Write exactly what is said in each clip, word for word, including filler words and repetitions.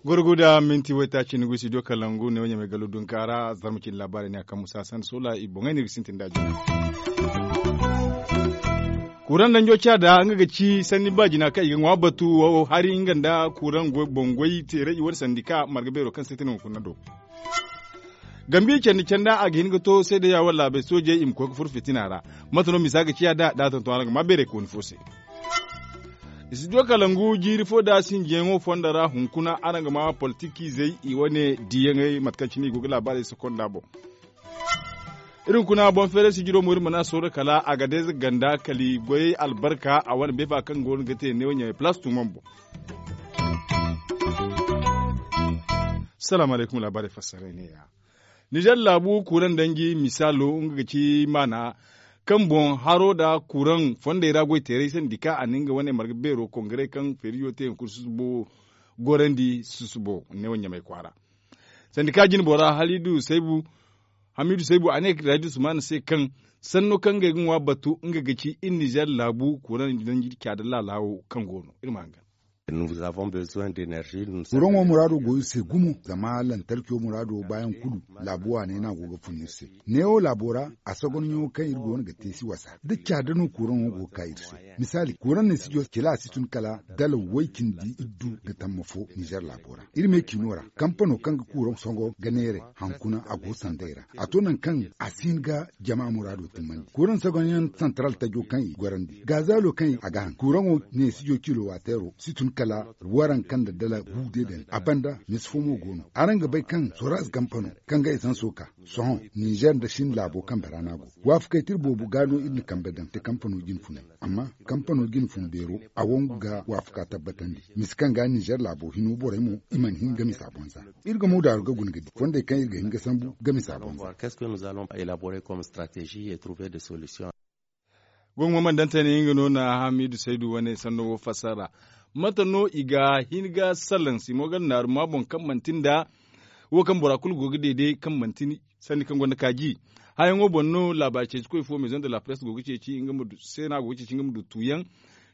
Gorgo da minti waytaaci ni go studio kalangu ne wo ɲamay gallo dunka ra zarma cindi laabaarey ne a kaŋ musa sanda soola i boŋey no i ga sintin da jina. Kuraŋ danjo caada nga ga ci sanni ba jina kaŋ i ga ŋwa batu wo hari nga nda kuraŋ boŋ goy teeray i wane sandika marga beero kaŋ se ti no hunkuna do. Gambi candi canda a ga hin ga to seedeya wala laabey soojey i ma koy ga furo fitina ra. Mate no misa ga ciya da da a tonton araŋ ga ma beeray kooni fo se. Studio kalangu jiiri fo da sinjiyaŋo fondo ra hunkuna araŋ ga ma politikiizey i wane diiyaŋey mate kaŋ cine i go ga laabaarey sokonda boŋ. Iri hunkuna boŋ feeray sijiro mo iri mana sooro kala a ga deeze ganda kala i goyey albarka a wane beefa kaŋ go no ga te neewo ɲamay palaas tuumam boŋ. Salaamu alaykum laabaarey fassaray neeya. Nizer laabu kuraŋ danji misaalo nga ga ci maana kaŋ boŋ haro nda kuraŋ fondey ra goy teeray sandika a na nga wane marga beero kongare kaŋ feeriyo te hunkuna susubo gorandi susubo neewo ɲamay kwaara. Sandika jine bora hamidu saybu a ne raji usman se kaŋ sanno kaŋ ngey ga ŋwa batu nga ga ci iri nizer laabu kuraŋ danji caada laalaawo kaŋ go no iri ma hangan. Kuraŋo muraado go iri se gumo zama lantarkiyo muraado baayaŋ kulu laabu waaney no a go ga fun iri se. Neewo laabo ra a sogonɲo kaŋ iri go no ga te si wasa da caada no kuraŋo go ga ka iri se. Misaali kuraŋ ne sijo kila a si tun kala dala way cindi iddu nda tamma fo nizer laabo ra. Iri me ciino ra kampano kaŋ ga kuraŋ sogo ga neeray hankuna a go sanday ra a to nangu kaŋ a si hin ga jama muraado timmandi kuraŋ sogonyaŋ santaral tajo kaŋ i gorandi gazalo kaŋ a ga haŋ kuraŋo ne sijo kilo wateero si tun kala waranka nda dala gu day daŋ a banda misi fo mo go no araŋ ga bay kaŋ soraz kampano kaŋ ga esanso ka sohõ nizer nda sin laabo kambe ra no a go. Waafakey tira boobo ga no iri na kambe daŋ te kampano jine funay amma kampano jine fun beero a wangu ga waafuka tabbatandi misi kaŋ ga nizer laabo hino borey mo i mana hin ga misa boŋ za. Iri ga moodaaru ga guna ga di fondey kaŋ iri ga hin ga sambu ga misa boŋ za. Gongo mandantani nga no na hamidu saydu wane sanno wo fassara mate no i ga hin ga salaŋ simogal naaru ma boŋ kaŋ manti nda wo kaŋ bora kulu go ga deede kaŋ manti sanni kaŋ gonda kaaji. Hayaŋo boŋ no laabaari ceeci koy fo maison de la presse go ga ceeci nga ma du seena go ga ceeci nga ma du tuuyaŋ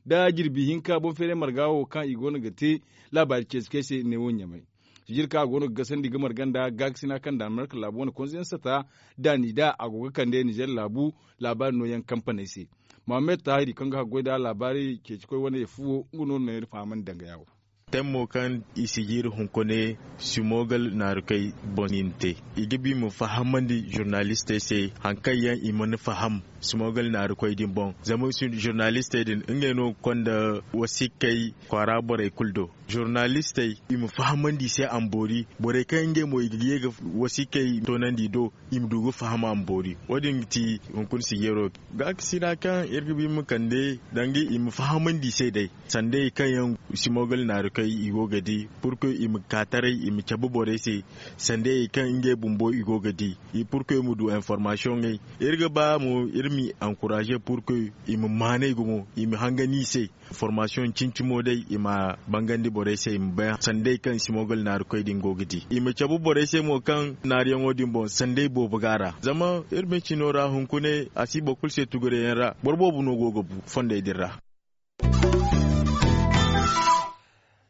da jirbi hinka boŋ feeray marga wo kaŋ i go no ga te laabaari ceeci koy se neewo ɲamay. Sijir kaŋ a go no ga gasandi ga marga nda gaakasina kaŋ danemark laabu wane konsiyaŋ sata daani da a go ga kande nizer laabu laabaari nooyaŋ kampaney se. Mohammed tahiri kaŋ ga haggoy nda laabaari ceeci koy wane yafu wo nga no no iri fahamandi dangaya wo. Temmo kaŋ i sijir hunkune simogal naarukey boŋ i na te i ga ba i ma fahamandi zurnalistey se hari kaŋ yaŋ i mana faham simogal naarukoy din boŋ zama zurnalistey din ngey no ga konda wasiikey kwaara borey kulu do. Zurnalistey i ma fahamandi i se a ma boori borey kaŋ ngey mo i ga ye ga wasiikey toonandi i do i ma du ga faham a ma boori. Wo- din ga ti hunkuna sijiro gaakasina kaŋ iri ga ba i ma kande danga i ma fahamandi i se day sanda i kaŋ yaŋ simogal naarukey i go ga di purkuy i ma ka taray i ma cabe borey se sanda i kaŋ ngey bumbo i go ga di i purkuy i ma du informasiyoŋey. Iri ga ba mo iri m'i ankuraaze purkuy i ma maanay gumo i ma hangani i se informasiyoŋ cincimo day i ma bangandi borey se i ma bay sanda i kaŋ simogal naarikoy din go ga di i ma cabe borey se mo kaŋ naariyaŋo din boŋ sanda i boobo ga a ra zama iri ma cino ra hunkune a si boro kulu se tuguriyaŋ ra boro boobo no go ga bu fondey din ra.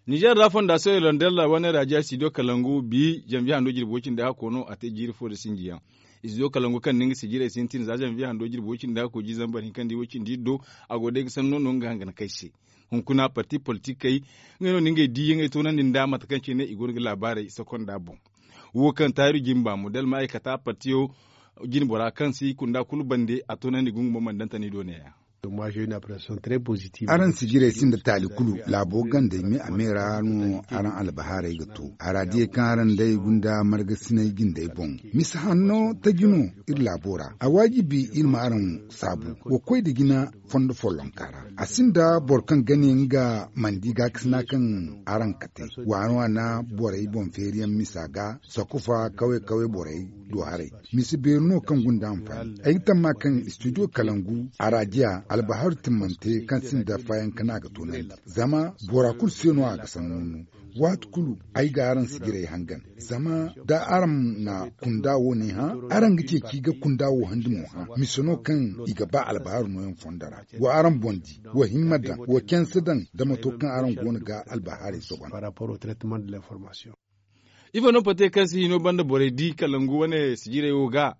Nizer ra fondasiyoŋ irlandella wane raajiya studio kalangu bi janvier hando jirbi woy cindi hakko no a te jiiri fo nda sinjiyaŋ. Studio kalangu kaŋ na nga sijirey sintin za janvier hando jirbi woy cindi hakko jiiri zambar hinka nda woy cindi iddo a go day ga sanno no nga hanganakey se. Hunkuna parti politikey ngey no na ngey diiyaŋey toonandi nda mate kaŋ cine i go no ga laabaarey sokonda boŋ. Wo kaŋ taahiru jimba mo da almaaykata partiyo jinbora kaŋ si kunda kulu bande a toonandi gungu mo mana daŋ tani do neeya. Araŋ sijirey sinda taali kulu laabo gandey me a me ra no araŋ albahaarey ga to a ra diyey kaŋ araŋ day gunda margasinay jindey boŋ. Misa hanno taji no iri laabo ra a waajibi iri ma araŋ saabu wa koy nda jina fondo follonka ra. A sinda boro kaŋ ga ne nga mana di gaakasina kaŋ araŋ kate waana waana borey boŋ feeriyaŋ misa ga sakufa kaway kaway borey. do haray. Mise beeri no kaŋ gunda anfaani ay ga tamma kaŋ studio kalangu a ra diya albahaaru timmante kaŋ sinda faayaŋ kaŋ a ga toonandi. Zama bora kulu se no a ga sanno no. Waati kulu ay ga araŋ sijirey hangan. Zama da araŋ na kunda wo ne hã, araŋ ga ceeci ga kunda wo handi mo hã mise no kaŋ i ga ba albahaaru nooyaŋ fondo ra. Wa araŋ boŋ di, wa himma daŋ, wa canse daŋ da mato kaŋ araŋ go no ga albahaarey sogon. Ifo no pate kaŋ si hino banda borey di kalangu wane sijirey wo ga?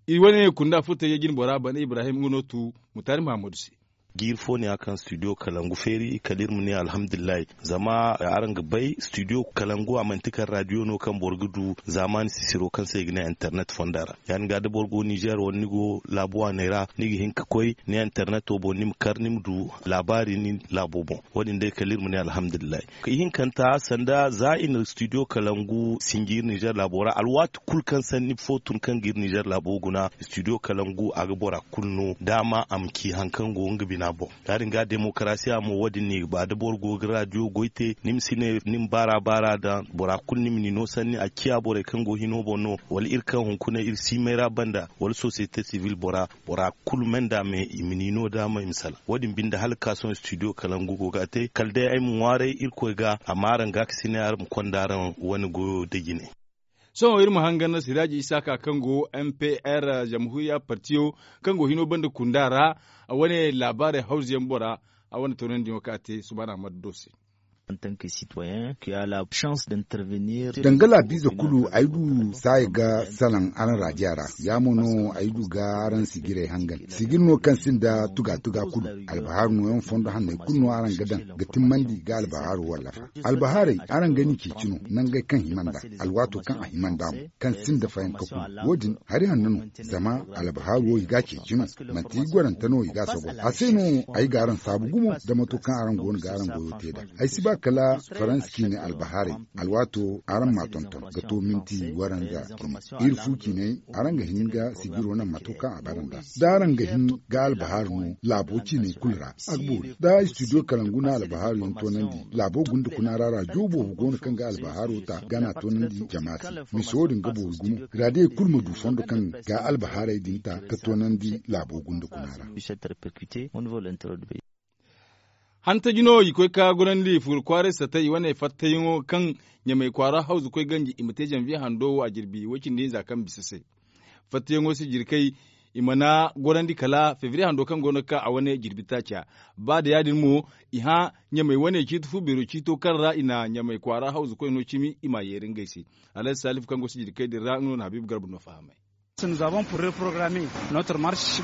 Iri wane kunda furtayye jine bora bana ibrahim nga no tu mutaari mahammadu se. Jiiri fo ne ya kaŋ studio kalangu feeri kala iri ma ne alhamdulillahi. Zama araŋ ga bay studio kalangu a manti kala radio no kaŋ boro ga du zaamaani sisiro kaŋ se i ga ne internet fonda ra. Ya- din ga da boro go nizer wala ni go laabu waaney ra ni ga hin ga koy ni internet wo boŋ ni ma kar ni ma du laabaari ni laabo boŋ. Wo- din day kala iri ma ne alhamdulillahi. Ihinkanta sanda za i na studio kalangu sinji iri nizer laabo ra alwaati kulu kaŋ sanni fo tun kaŋ ga iri nizer laabo guna studio kalangu a ga bora kulu no daama a ma ci hari kaŋ go nga bina boŋ. Ya- din ga demokarasiya mo wo- din no i ga ba da boro go ga radio goy te ni ma si ne ni ma baara baara daŋ bora kulu ni ma ni no sanni a ciya borey kaŋ go hino boŋ no wala iri kaŋ hunkuna iri siimay ra banda wala sosiyete sibil bora bora kulu me nda me i ma ni no daama i ma salaŋ wo- din binde hala ga ka sohõ studio kalangu go ga a te kala day ay ma ŋwaaray irkoy ga a ma araŋ ga ka si ne araŋ ma konda araŋ wane goyo da jine. Sohõ iri ma hangan na siraaji isaaka kaŋ go m p r zamhuriya partiyo kaŋ go hino banda kunda ra a wane laabaarey hawzuyaŋ bora a wane toonandiyaŋo kaŋ a te subaana ammadu do se. Danga laabiize kulu ay du saaya ga salaŋ araŋ raajiya ra. Ya mo no ay du ga araŋ sijirey hangan sijir no kaŋ sinda tuga tuga kulu. Albahaaru nooyaŋ fondo hanney kulu no araŋ ga daŋ ga timmandi ga albahaaru wallafa. Albahaarey araŋ ga ni ceeci no nangey kaŋ hima nd'a alwaato kaŋ a hima nd'a mo kaŋ sinda fayanka kulu. Wo- din hari hanno no. Zama albahaaru wo i ga a ceeci no manti gorante no i ga a sogo a se no. Ay ga araŋ saabu gumo da mato kaŋ araŋ go no ga araŋ goyo te nd'a. Ay si ba kala faransa ciine albahaarey alwaato araŋ m'a tonton ga to minti waranza. Iri fu ciiney araŋ ga hin ga sijiro naŋ mato kaŋ a bara nd'a da araŋ ga hin ga albahaari no laabo ciiney kulu ra. A ga boori da studio kalangu na albahaari yaŋ toonandi laabo gunda kuna ra raajo boobo go no kaŋ ga albahaaro ta gana toonandi jama se. Mise wo- din ga boori gumo raadiyey kulu ma du fondo kaŋ ga albahaarey din ta ga toonandi laabo gunda kuna ra. Hantaji no i koy ka gorandi furo kwaaray satay i wane fattayaŋo kaŋ ɲamey kwaara hawzu koy ganji i ma te zanviye hando wo a jirbi way-cindi hinza kaŋ bisa se. Fattayaŋo si jirkay i mana gorandi kala febriye hando kaŋ go no ga ka a wane jirbi taaca. Ba da ya- din mo i hã ɲamey wane ciiti fu beero ciito kaŋ ra i na ɲamey kwaara hawzu koy no cimi i m'a yeeri ngey se. Alhazi salifu kaŋ go si jirkay din ra nga no na habiibu garba no fahamay.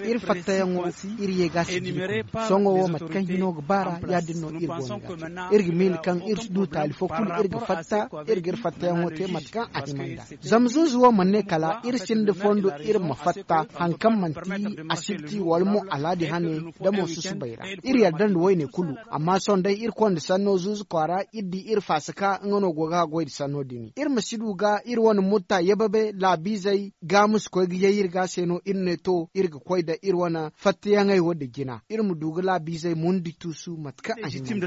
Iri fattayaŋo iri ye ga si jirbi sohõ wo mate kaŋ hino ga baara ya- din no iri go no ga te. Iri ga miila kaŋ iri si du taali fo kulu iri ga fatta iri ga iri fattayaŋo te mate kaŋ a hima nd'a. Zama zuuzu wo mana ne kala iri sinda fondo iri ma fatta hari kaŋ manti asibti wala mo alhaadi hane da mo susubay ra. Iri yarda nda woyne kulu. Amma sohõ day iri konda sanno zuuzu kwaara iri di iri faasaka nga no go ga haggoy nda sanno din iri ma si du ga iri wane mutta yebabe laabiizey ga ma si koy ga yay iri ga se no iri ne to iri ga koy nda iri wane fattayaŋey wo nda jina iri ma du ga laabiizey mundi tuusu mate kaŋ a hima nda.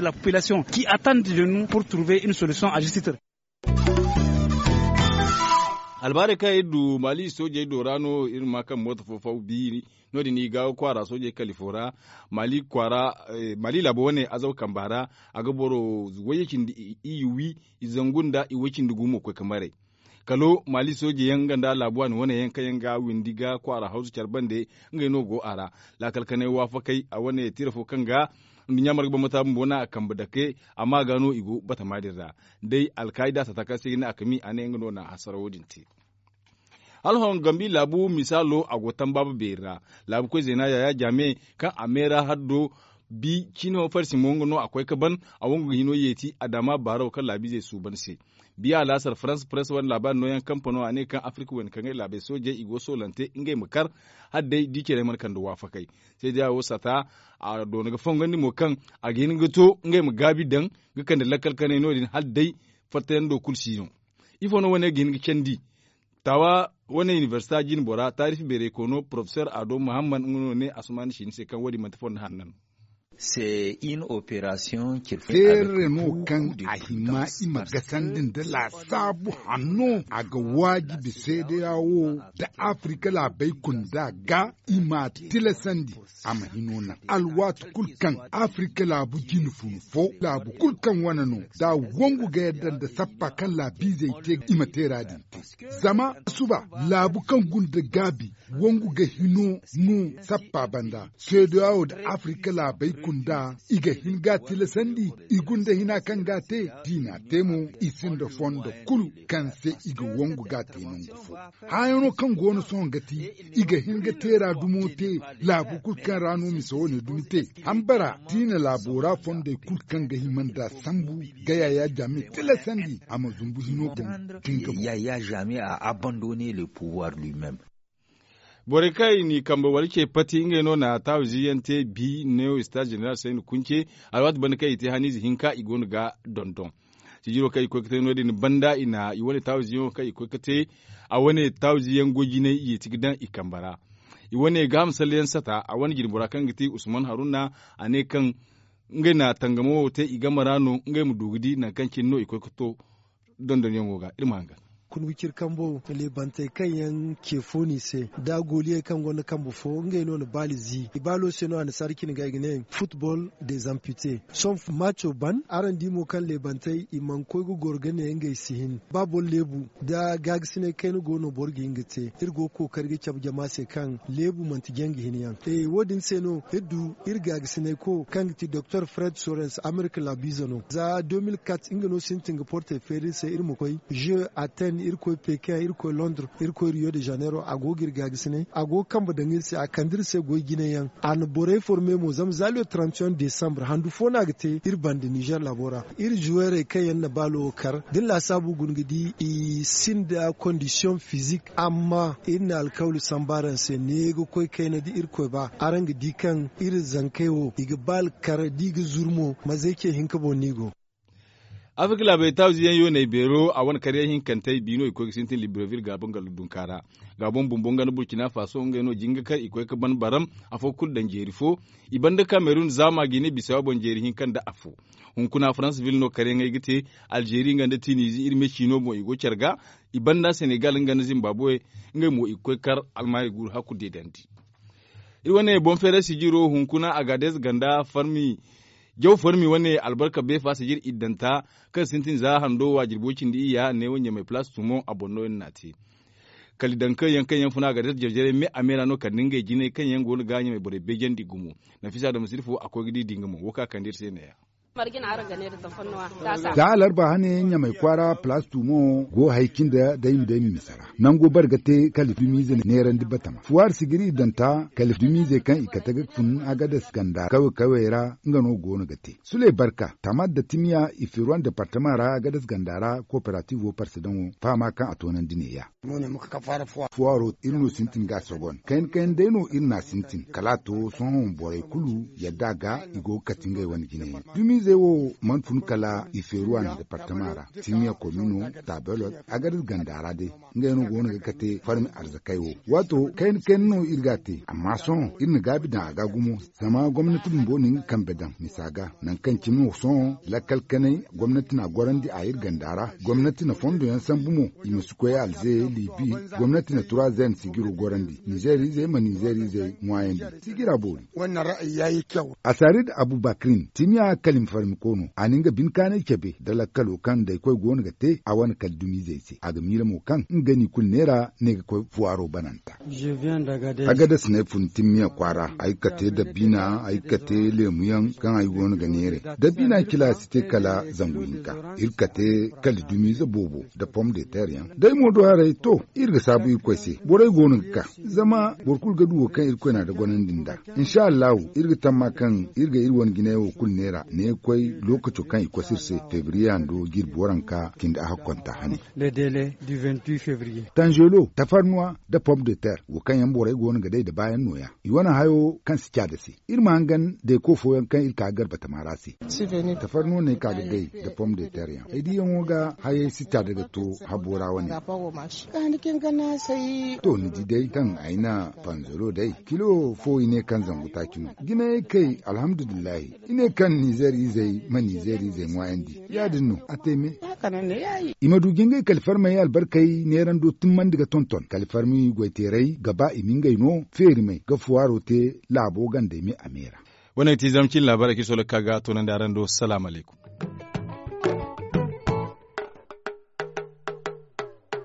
Albaarey kaŋ iri du maali soojey do ra no iri ma kaŋ mooto fo faw biiri. No- din i ga kwaara soojey kalifo ra maali laabo wane azaw kamba ra. A ga boro wayye cindi iyye wi i zangu nda i way cindi gu mo koy ga maray. Kalo maali soojey yaŋ nga nda laabu waani wane yaŋ kaŋ yaŋ ga windi ga kwaara hawzu care bande ngey no go a ra. Laakal kanay waafakey a wane tira fo kaŋ ga nduɲɲa marga bambata bumbo no a kambe dake. Amma ga no i go batama din ra day alkaayida sata kaŋ se i ga ne a kami a ne nga no na hasara wo- din te. Hala hõ gambi laabu misaalo a go tambaaba beeri ra. Laabu koy zeena yaya jaame kaŋ a meera haddo bi cino farsi mo nga no a koy ga ban. A wangu ga hino yeeti a daama baaro kaŋ laabiizey suuban se. Biya alaasar farans press wane laabaari nooyaŋ kampano a ne kaŋ afirka wayna kaŋ ay laabey soojey i go soolante ngey ma kar hala day di care mana kande waafakey. Seeda wo sata a doona ga fongandi mo kaŋ a ga hin ga to ngey ma gaabi daŋ ga kande lakkal kanay no- din hala day fattayaŋ do kulu si no. Ifo no wane ga hin ga candi? Taawa wane inibersita jine bora taarifi beeray koono porofesor ado muhammad nga no ne asumaani siini se kaŋ wo- din manti fondo hanna no. Seerre no kaŋ a hima i ma gasandi nda laasaabu hanno a ga waajibi seedeya wo nda afirika laabey kunda ga i ma a tilasandi a ma hino naŋ alwaati kulu kaŋ afirika laabu jine fun fo laabu kulu kaŋ wane no da a wangu ga yadda nda sappa kaŋ laabiizey te i ma teera din te. Zama suba laabu kaŋ gunda gaabi wangu ga hino no sappa banda seedeya wo nda afirika laabey kunda i ga hin ga a tilasandi i gunda hina kaŋ ga a te da i na a te mo i sinda fondo kulu kaŋ se i ga wangu ga a te nangu fo. Hããyaŋo kaŋ go no sohõ ga ti i ga hin ga teera dumo te laabu kulu kaŋ ra no misa wane dumi te hambara da i na laabo ra fondey kulu kaŋ ga hima nda a sambu ga yaayaa jaame tilasandi a ma zumbu hino boŋ. Kaŋ ga boŋ. Yaayaa jaame a abandonner le pouvoir lui même. Borey kaŋ i n'i kambe wala ce pati ngey no na taawizi yaŋ te bi neewo istaaz jeneral sayni kunce alwaati banda kaŋ i te haniize hinka i go no ga dondon. Sijiro kaŋ i koy ga te no- din banda i na i wane taawizi yaŋo kaŋ i koy ga te a wane taawizi yaŋ goy jinay i yeeti ga daŋ i kambe ra. I wane gaaham salleyaŋ sata a wane jinbora kaŋ ga ti usman haruna a ne kaŋ ngey na tangamo wo te i game ra no ngey ma du ga di nangu kaŋ cine no i koy ga to. Dondonyaŋo ga iri ma hangan. Kun wiciri kambo leebantey kaŋ yaŋ ce fo no i se da a gooliyey kaŋ gonda kambe fo ngey no na baali zi i baalo se no annasaara cine ga i ga ne futbol de zampite. Sohõ maaco ban araŋ di mo kaŋ leebantey i mana koy ga goro ga ne ngey si hin ba boro leebu da gaagasinay kayna go no boro ga hin ga te iri go ga kookari ga cabe jama se kaŋ leebu manti jangu hinyaŋ. Wo- din se no iri du iri gaagasinayko kaŋ ga ti doktor fred sorens amerika laabiize no za deux mille quatre nga no sintin ga portey feeri iri se iri ma koy jeux aten iri koy pekin iri koy londres iri koy rio de janeiro a go ga iri gaagasinay a go ga kambe daŋ iri se a kande iri se goy jine yaŋ. A na borey forme mo zama za le trente et un desambre handu fo no a ga te iri banda nizer laabo ra. Iri zuweerey kaŋ yaŋ na baalo wo kar da ni laasaabu guna ga di i sinda kondisiyoŋ fizik amma iri na alkawli samba araŋ se ne ga koy kayna da irkoy ba araŋ ga di kaŋ iri zankey wo i ga baali kar da i ga zuru mo mazey ce hinka boŋ no i go. Afirka laabey taawizi yaŋ yooney beero a wane karyaŋ hinkantey bi no i koy ga sintin libreville gaabo nga ladunka ra. Gaabo bumbo nga nda burkina faso ngey no jinga kaŋ i koy ga ban baram afo kulu daŋ jeeri fo. I banda kamerun zaama ga i ne bisawa boŋ jeeri hinka nda afo. Hunkuna franseville no karyaŋey ga te. Alzeeri nga nda tinizi iri me ciino boŋ i go care ga. I banda senegal nga nda zimbabuwe ngey mo i ga koy kar almaari guuru hakku deedandi. Iri wane boŋ feeray sijiro hunkuna agades ganda farmi jaw farmi wane albarka beefa sijir iddanta kaŋ sintin za hando waajirbo cindi iyya neewo ɲamay palaas tumo a boŋ no iri n'a te. Kala i daŋ kaŋ yaŋ kaŋ yaŋ funa agades jarjaray me a me ra no kala nda ngey jinay kaŋ yaŋ go no ga ɲamay borey beejandi gumo. Nafisa da ma sirfo a koy ga di di nga mo wo kaŋ a kande iri se neeya. Za alarba hane ɲamay kwaara palaas tumo go hari cindi dayma dayma misa ra nango bare ga te kala dumiize neerandi batama fuwaari sijiri iddanta kala dumiizey kaŋ i kate ga fun agades ganda kawey kawey ra nga no go no ga te. Suley barka tamar da timiya i feeruwan departama ra agades ganda ra kooperativo parsedaŋo fahama kaŋ a toonandi neeya. Fuwaaro iri no sintin ga a sogon kayna kayna day no iri n'a sintin kala a to sohõ borey kulu yadda ga i go ga kate ngey wane jine yaŋ dumiizey wo mana fun kala i feeruwan departama ra. Timiya komino tabelot agades ganda ra day ngey no go no ga kate farmi arzakey wo. Waato kayna kayna no iri ga a te amma sohõ iri na gaabi daŋ a ga gumo. Zama gomnati bumbo na nga kambe daŋ misa ga nangu kaŋ cine wo sohõ lakkal kanay gomnati n'a gorandi a iri ganda ra. Gomnati na fondo yaŋ sambu mo i ma si koy alze libi. Gomnati na trois n sijiro gorandi nizeer izey ma nizeer izey ŋwaayandi. Sijira boori. Asarid abubakrin timiya kala i ma farmiko no a na nga bine kaanay cabe nda lakkalo kaŋ nd'ay koy go no ga te a wane kala dumiizey se a ga miila mo kaŋ nga n'i kulu neera ne ga koy fuwaaro bananta. Agades no ay fun timmiya kwaara ay ga kate dabbiina ay ga kate leemu yaŋ kaŋ ay go no ga neeray. Dabbiina cila si te kala zangu hinka iri ga kate kala dumiize boobo nda pom de ter yaŋ da ay mo do haray to iri ga saabu irkoy se borey go no ga ka. Zama boro kulu ga du wo kaŋ irkoy na a da gonandi nd'a. Insa allahu iri ga tamma kaŋ iri ga iri wane jinay wo kulu neera ne. Koy lookaco kaŋ i koy se iri se febriye hando jirbi waranka cindi a hakkonta hane. Tanzelo tafarnuwa nda pom de ter wo kaŋ yaŋ borey go no ga day nda baayaŋ nooya. I wane hayo kaŋ si caada se iri ma hangan deeko fooyaŋ kaŋ iri ka ga garbatama ra se. Tafarnuwa no ay ka ga day nda pom de ter yaŋ ay diyaŋo ga hayey si caada ga to habo ra wane. To ni di day kaŋ ay na panzolo day kilo fo i ne kaŋ zangu taaci no. Jinayey kay alhamdulillahi. I ne kaŋ nizeer izey ma nizeer izey ŋwaayandi. Ya- din no a te me. I ma du ga ngey kalifarmey albarkey neerando timmandi ga tonton kalifarmi goyteerey ga ba i ma ngey no feerimey ga fuwaaro te laabo gandey me a me ra. Wane ga ti zama cine laabaarey kaŋ i sohõ ga ka ga toonandi araŋ do salaam alaykum.